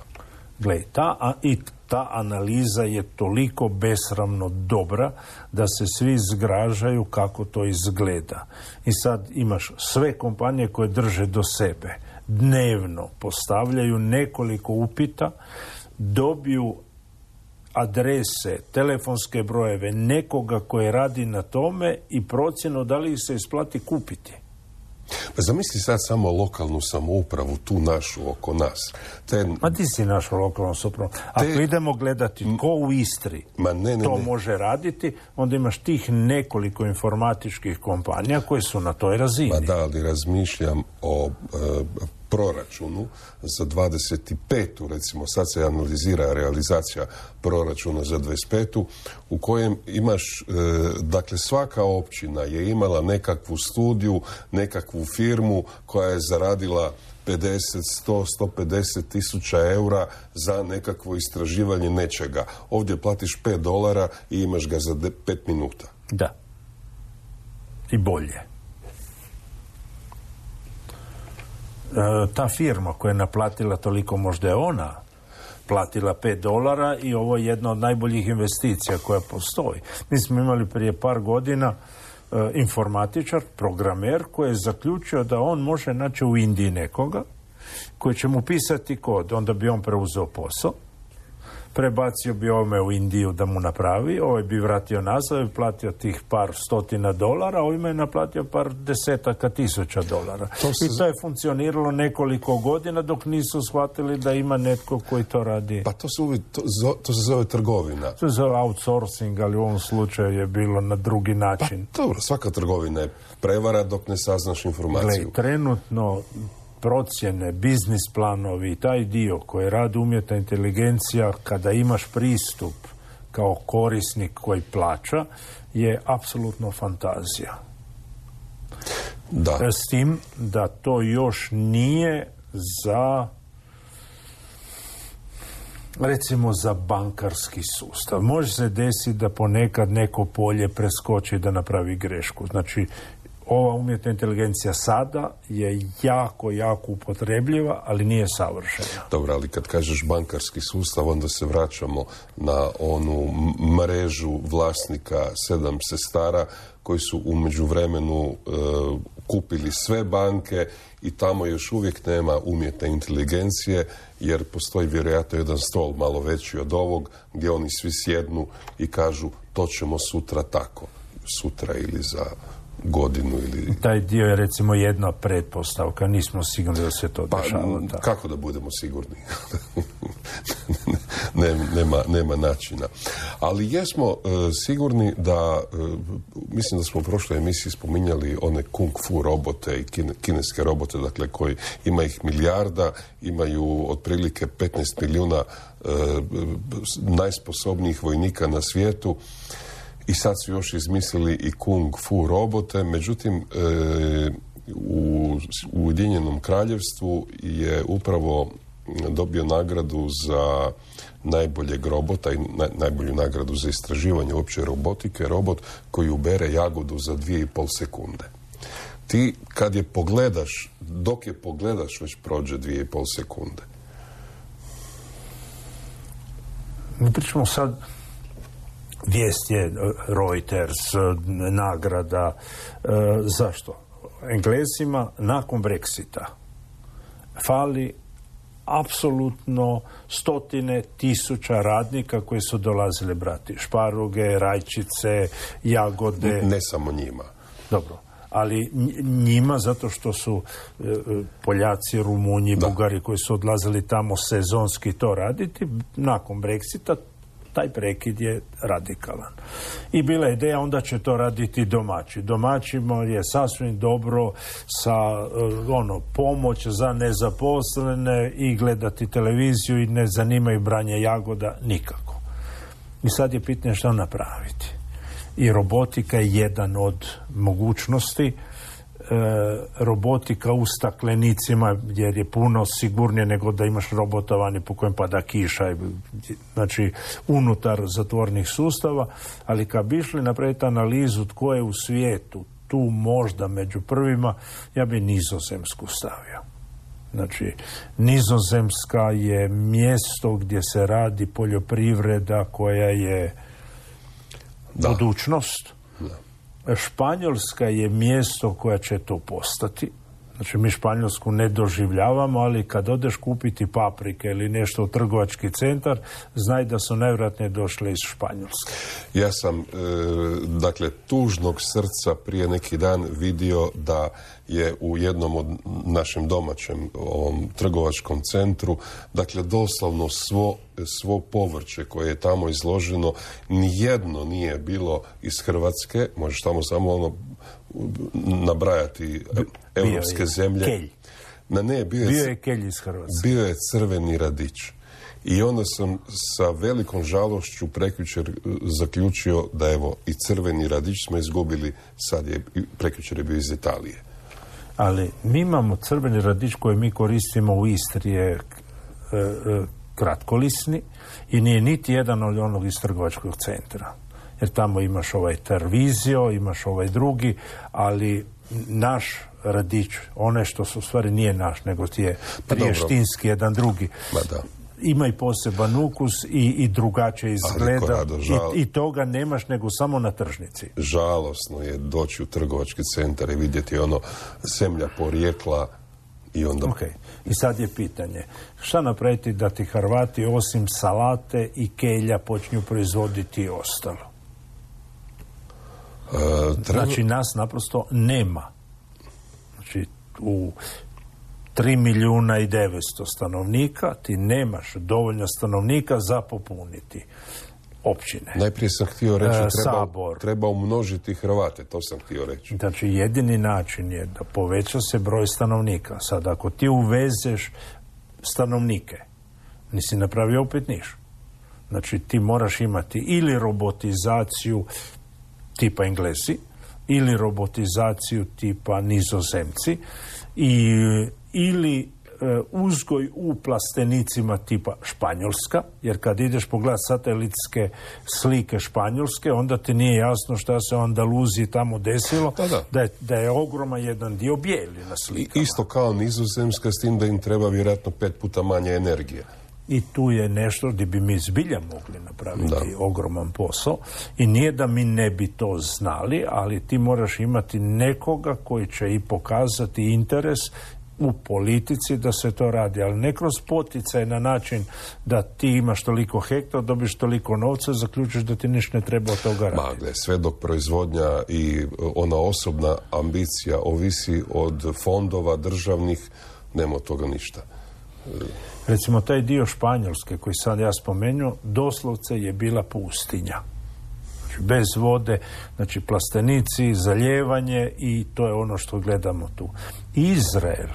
Gle, ta, a, i ta analiza je toliko besramno dobra da se svi zgražaju kako to izgleda. I sad imaš sve kompanije koje drže do sebe. Dnevno postavljaju nekoliko upita, dobiju adrese, telefonske brojeve nekoga koji radi na tome i procjenu da li se isplati kupiti. Pa zamisli sad samo lokalnu samoupravu, tu našu, oko nas. Te, Ma ti si našu lokalnu samoupravu. Ako te, idemo gledati ko u Istri ma ne, ne, to ne. može raditi, onda imaš tih nekoliko informatičkih kompanija koje su na toj razini. Ma da, ali razmišljam o e, proračunu za dvadeset petu recimo, sad se analizira realizacija proračuna za dvadeset petu u kojem imaš, e, dakle svaka općina je imala nekakvu studiju, nekakvu firmu koja je zaradila pedeset, sto, sto pedeset tisuća eura za nekakvo istraživanje nečega. Ovdje platiš pet dolara i imaš ga za pet minuta. Da. I bolje. Ta firma koja je naplatila toliko, možda je ona platila pet dolara i ovo je jedna od najboljih investicija koja postoji. Mi smo imali prije par godina e, informatičar, programer koji je zaključio da on može naći u Indiji nekoga koji će mu pisati kod, onda bi on preuzeo posao, prebacio bi ovome u Indiju da mu napravi, ovaj bi vratio nazad i platio tih par stotina dolara, a ovime je naplatio par desetaka tisuća dolara. To se... I to je funkcioniralo nekoliko godina dok nisu shvatili da ima netko koji to radi. Pa to, su, to, to se zove trgovina. To se zove outsourcing, ali u ovom slučaju je bilo na drugi način. Pa dobro, svaka trgovina je prevara dok ne saznaš informaciju. Gle, trenutno procjene, biznis planovi, taj dio koji radi umjetna inteligencija, kada imaš pristup kao korisnik koji plaća, je apsolutno fantazija. Da. S tim da to još nije za, recimo, za bankarski sustav. Može se desiti da ponekad neko polje preskoči da napravi grešku. Znači, ova umjetna inteligencija sada je jako, jako upotrebljiva, ali nije savršena. Dobro, ali kad kažeš bankarski sustav, onda se vraćamo na onu mrežu vlasnika sedam sestara koji su u međuvremenu e, kupili sve banke i tamo još uvijek nema umjetne inteligencije, jer postoji vjerojatno jedan stol malo veći od ovog gdje oni svi sjednu i kažu to ćemo sutra tako. Sutra ili za godinu ili... Taj dio je recimo jedna pretpostavka, nismo sigurni da se to dešava. Pa, kako da budemo sigurni? nema, nema, nema načina. Ali jesmo uh, sigurni da, uh, mislim da smo u prošloj emisiji spominjali one kung fu robote i kine, kineske robote, dakle koji ima ih milijarda, imaju otprilike petnaest milijuna uh, najsposobnijih vojnika na svijetu. I sad su još izmislili i kung fu robote, međutim e, u Ujedinjenom kraljevstvu je upravo dobio nagradu za najboljeg robota i na, najbolju nagradu za istraživanje uopće robotike, robot koji ubere jagodu za dvije i pol sekunde. Ti kad je pogledaš, dok je pogledaš već prođe dvije i pol sekunde. Mi pričamo sad, vijest je Reuters, nagrada. E, zašto? Englezima nakon Brexita fali apsolutno stotine tisuća radnika koji su dolazili brati šparuge, rajčice, jagode. Ne samo njima. Dobro. Ali njima, zato što su e, Poljaci, Rumunji, da. Bugari koji su odlazili tamo sezonski to raditi, nakon Brexita taj prekid je radikalan. I bila je ideja, onda će to raditi domaći. Domaćima je sasvim dobro sa ono, pomoć za nezaposlene i gledati televiziju i ne zanimaju branje jagoda nikako. I sad je pitanje što napraviti. I robotika je jedan od mogućnosti. E, robotika u staklenicima, jer je puno sigurnije nego da imaš robota vani po kojem pada kiša, znači unutar zatvornih sustava, ali kad bi išli napraviti analizu tko je u svijetu tu možda među prvima, ja bi Nizozemsku stavio. Znači, Nizozemska je mjesto gdje se radi poljoprivreda koja je da. budućnost. Da. Španjolska je mjesto koja će to postati. Znači, mi Španjolsku ne doživljavamo, ali kad odeš kupiti paprike ili nešto u trgovački centar, znaj da su najvjerojatnije došle iz Španjolske. Ja sam, e, dakle, tužnog srca prije neki dan vidio da je u jednom od našem domaćem ovom trgovačkom centru, dakle, doslovno svo, svo povrće koje je tamo izloženo, nijedno nije bilo iz Hrvatske, možeš tamo samo ono nabrajati europske zemlje. Kelj. Na ne, bio je, bio je kelj iz Hrvatske. Bio je crveni radić. I onda sam sa velikom žalošću prekjučer zaključio da evo i crveni radić smo izgubili, sad je prekjučer je bio iz Italije. Ali mi imamo crveni radić koji mi koristimo u Istri je e, e, kratkolisni i nije niti jedan od onog iz trgovačkog centra. Jer tamo imaš ovaj Tarvisio, imaš ovaj drugi, ali naš radić, one što su u stvari nije naš, nego ti je prištinski, jedan drugi. Ma da. Ima i poseban ukus i, i drugačije izgleda. Rado, žal... I, i toga nemaš nego samo na tržnici. Žalosno je doći u trgovački centar i vidjeti ono zemlja porijekla i onda... Ok, i sad je pitanje, šta napraviti da ti Hrvati osim salate i kelja počinju proizvoditi i ostalo? Uh, treba... Znači, nas naprosto nema. Znači, u tri milijuna i devetsto stanovnika ti nemaš dovoljno stanovnika za popuniti općine. Najprije sam htio reći, e, treba, Sabor. treba umnožiti Hrvate, to sam htio reći. Znači, jedini način je da poveća se broj stanovnika. Sad, ako ti uvezeš stanovnike, nisi napravio opet niš. Znači, ti moraš imati ili robotizaciju tipa Englesi, ili robotizaciju tipa Nizozemci, i, ili e, uzgoj u plastenicima tipa Španjolska, jer kad ideš pogledat satelitske slike Španjolske, onda ti nije jasno šta se u Andaluziji tamo desilo, da, da. Da, je, da je ogroman jedan dio bijeli na slikama. Isto kao Nizozemska, s tim da im treba vjerojatno pet puta manje energije. I tu je nešto gdje bi mi zbilja mogli napraviti da. ogroman posao. I nije da mi ne bi to znali, ali ti moraš imati nekoga koji će i pokazati interes u politici da se to radi. Ali ne kroz poticaj na način da ti imaš toliko hektara, dobiš toliko novca, zaključiš da ti ništa ne treba od toga raditi. Magle, sve dok proizvodnja i ona osobna ambicija ovisi od fondova državnih, nema od toga ništa. Recimo, taj dio Španjolske koji sad ja spomenuo, doslovce je bila pustinja. Znači, bez vode, znači plastenici, zalijevanje i to je ono što gledamo tu. Izrael,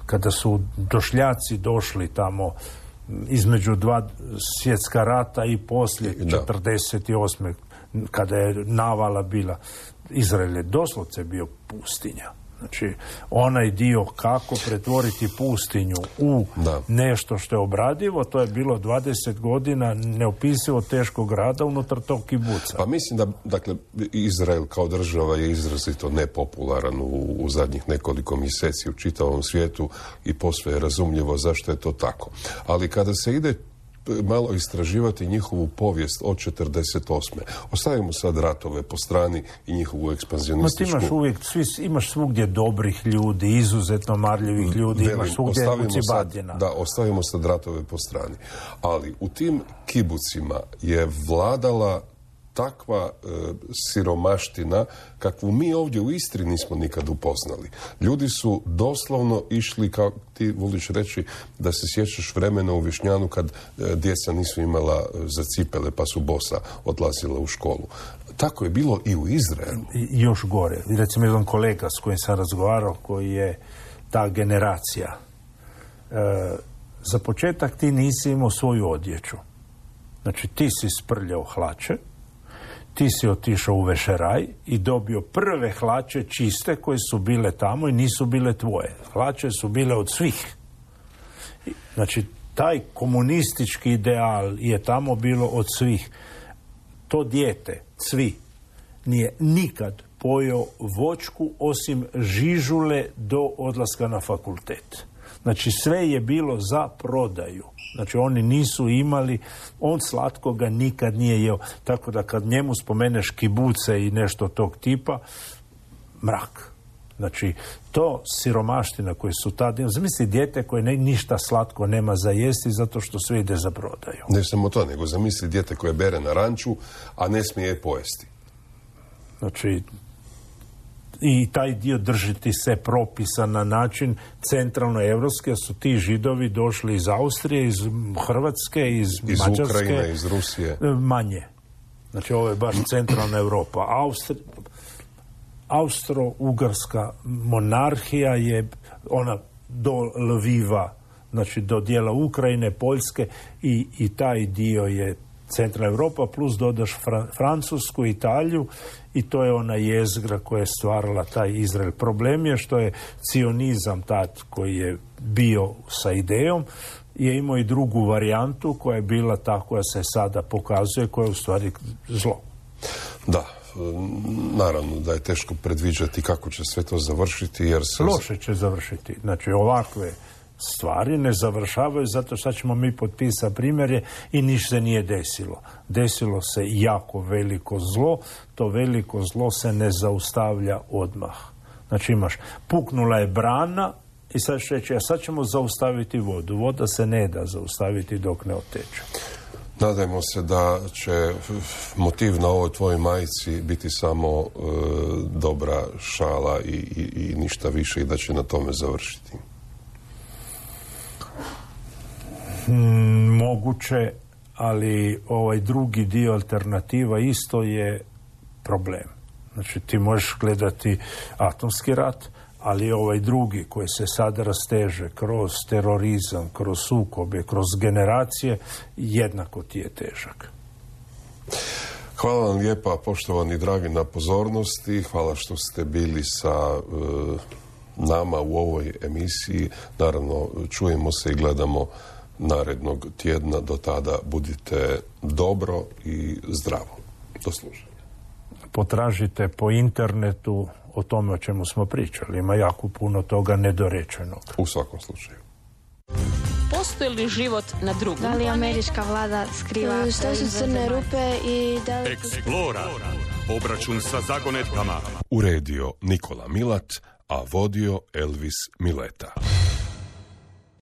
kada su došljaci došli tamo između dva svjetska rata i poslije četrdeset osme kada je navala bila, Izrael je doslovce bio pustinja. Znači, onaj dio kako pretvoriti pustinju u da. nešto što je obradivo, to je bilo dvadeset godina neopisivo teškog rada unutar tog kibuca. Pa mislim da, dakle, Izrael kao država je izrazito nepopularan u, u zadnjih nekoliko mjeseci u čitavom svijetu i posve je razumljivo zašto je to tako. Ali kada se ide malo istraživati njihovu povijest od četrdeset osme. Ostavimo sad ratove po strani i njihovu ekspanzionističku... Ma ti imaš uvijek, svi, imaš svugdje dobrih ljudi, izuzetno marljivih ljudi, Velim, imaš svugdje ucibatina. Da, ostavimo sad ratove po strani. Ali u tim kibucima je vladala takva e, siromaština kakvu mi ovdje u Istri nismo nikad upoznali. Ljudi su doslovno išli, kao ti voliš reći, da se sjećaš vremena u Višnjanu kad e, djeca nisu imala za cipele pa su bosa odlazila u školu. Tako je bilo i u Izraelu. I, još gore. Recimo, jedan kolega s kojim sam razgovarao, koji je ta generacija. E, za početak ti nisi imao svoju odjeću. Znači, ti si sprljao hlače, ti si otišao u vešeraj i dobio prve hlače čiste koje su bile tamo i nisu bile tvoje. Hlače su bile od svih. Znači, taj komunistički ideal je tamo bilo od svih. To dijete, svi, nije nikad pojeo voćku osim žižule do odlaska na fakultet. Znači, sve je bilo za prodaju. Znači, oni nisu imali, on slatkoga nikad nije jeo. Tako da kad njemu spomeneš kibuce i nešto tog tipa, mrak. Znači, to siromaština koje su tada... Zamisli dijete koje ne, ništa slatko nema za jesti zato što sve ide za prodaju. Ne samo to, nego zamisli dijete koje bere na ranču, a ne smije je pojesti. Znači, i taj dio držiti se propisa na način centralno-evropski, su ti Židovi došli iz Austrije, iz Hrvatske, iz, iz Mađarske. Iz Ukrajine, iz Rusije. Manje. Znači, ovo je baš centralna Europa. Austri... Austro-Ugarska monarhija je ona do Lviva, znači do dijela Ukrajine, Poljske i, i taj dio je centralna Europa, plus dodaš Fra, Francusku, Italiju i to je ona jezgra koja je stvarala taj Izrael. Problem je što je cionizam tad koji je bio sa idejom je imao i drugu varijantu koja je bila ta koja se sada pokazuje, koja je u stvari zlo. Da. Naravno da je teško predviđati kako će sve to završiti, jer se... Loše će završiti. Znači, ovakve stvari ne završavaju zato što ćemo mi potpisati primjerje i ništa se nije desilo. Desilo se jako veliko zlo, to veliko zlo se ne zaustavlja odmah. Znači, imaš, puknula je brana i sad će reći, a sad ćemo zaustaviti vodu. Voda se ne da zaustaviti dok ne oteče. Nadajmo se da će motiv na ovoj tvojoj majici biti samo e, dobra šala i, i, i ništa više i da će na tome završiti. Hmm, moguće, ali ovaj drugi dio alternativa isto je problem. Znači, ti možeš gledati atomski rat, ali ovaj drugi koji se sada rasteže kroz terorizam, kroz sukobe, kroz generacije, jednako ti je težak. Hvala vam lijepa, poštovani dragi, na pozornosti. Hvala što ste bili sa e, nama u ovoj emisiji. Naravno, čujemo se i gledamo narednog tjedna. Do tada budite dobro i zdravo. Do slušanja. Potražite po internetu o tome o čemu smo pričali. Ima jako puno toga nedorečenog. U svakom slučaju. Postoji li život na drugom? Da li američka vlada skriva... Što su crne rupe i da li... Explora. Obračun sa zagonetkama. Uredio Nikola Milat, a vodio Elvis Mileta.